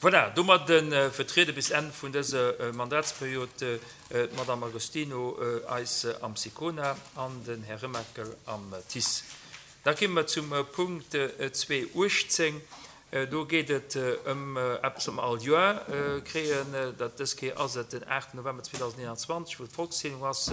Voilà, domadde vertriede bis Enn vun dëser Mandatsperiod d'Madame Agostino eis am Sicona an den Här Remakel am TICE. Da komme mer zum Punkt 2.18. Do geet et ëm eppes, wat mer all Joer kréien. Dat dës Kéier ass et den 8 November 2021, wou d'Volkszählung ass.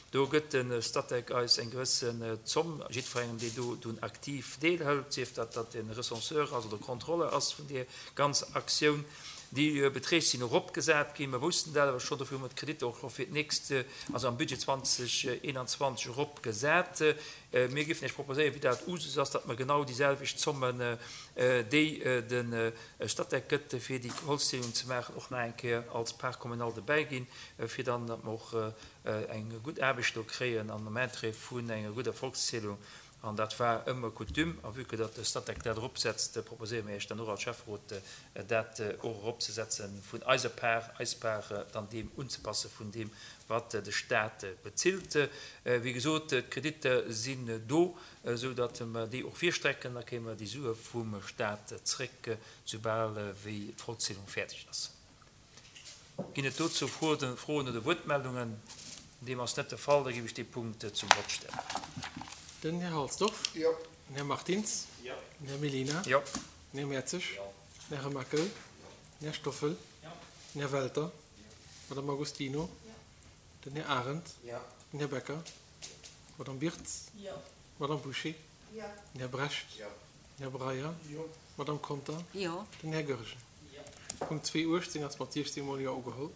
Do gëtt de Statec eis eng gewëssen Zomm, jiddwerengem, dee do dunn aktiv deelhëlt, sief dat, datt en Recenseur ass oder Contrôleur ass vun deer ganzer Aktioun. Déi Beträg sinn eropgesat ginn. Mer woussten dat awer schonn, dofir hu mer d'Kreditter och scho fir d'nächst, also am Budget 2021 eropgesat. Mir géifen Iech proposéieren, wéi dat Usus ass, datt mer genau déi selwecht Zommen, déi de Statec gëtt, fir déi Holzzielung ze maachen, och nach eng Kéier als Part communale dobäi ginn, fir dann, datt mer och eng gutt Aarbecht do kréien an am Interêt vun enger gudder Volkszählung. An dat war ëmmer Coutume. A vue que datt de Statec dat eropsetzt, proposéiere mir Iech dann och als Schäfferot, dat och eropzesetzen, vun eiser Part, eis Part dann deem unzepasse vun deem, wat de Stat bezilt. Wéi gesot, d'Kreditter sinn do, esou datt mer déi och virstrecken. Da kréie mer déi Sue vum Stat zréck, soubal wéi d'Vollzielung fäerdeg ass. Ginn et dozou Froen oder Wuertmeldungen? Deem ass net de Fall. Da géif ech dee Punkt zum Vott stellen. Den Här Halsdorf. Jo. Den Här Martins. Jo. Den Här Mellina. Jo. Den Här Mertzig. Jo. Den Här Remakel. Jo. Den Här Stoffel. Jo. Den Här Welter. Jo. D'Madame Agostino. Jo. Den Här Arendt. Jo. Den Här Becker. Jo. D'Madame Birtz. Jo. D'Madame Bouché. Jo. Den Här Brecht. Jo. Den Här Breyer. Jo. D'Madame Conter. Jo. Den Här Goergen. Jo. Punkt 2.18 ass mat 16 mol Jo ugeholl.